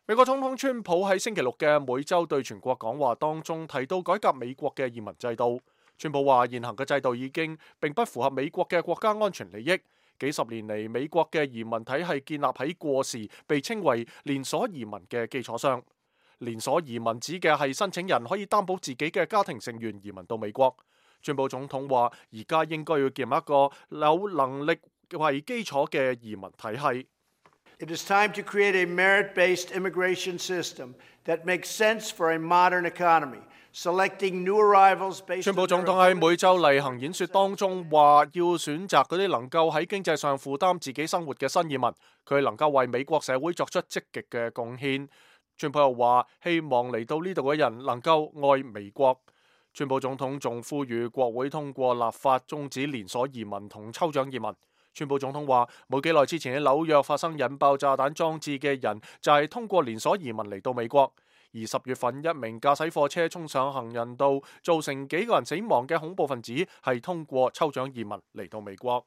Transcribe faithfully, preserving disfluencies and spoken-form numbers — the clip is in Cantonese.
美國總統川普喺星期六嘅每週對全國講話當中提到改革美國嘅移民制度。川普話現行嘅制度已經並不符合美國嘅國家安全利益。幾十年嚟，美國嘅移民體系建立喺過時被稱為連鎖移民嘅基礎上。連鎖移民指嘅係申請人可以擔保自己嘅家庭成員移民到美國。川普總統話而家應該要建立一個有能力為基礎嘅移民體系。It is time to create a merit-based immigration system that makes sense for a modern economy, selecting new arrivals based on their ability. 川普總統喺每週例行演說當中話，要選擇嗰啲能夠喺經濟上負擔自己生活嘅新移民，佢能夠為美國社會作出積極嘅貢獻。川普又話，希望嚟到呢度嘅人能夠愛美國。川普總統仲呼籲國會通過立法終止連鎖移民同抽獎移民。川普總統話，冇幾耐之前喺紐約發生引爆炸彈裝置嘅人就係通過連鎖移民嚟到美國。而十月份一名駕駛貨車衝上行人道，造成幾個人死亡嘅恐怖分子係通過抽獎移民嚟到美國。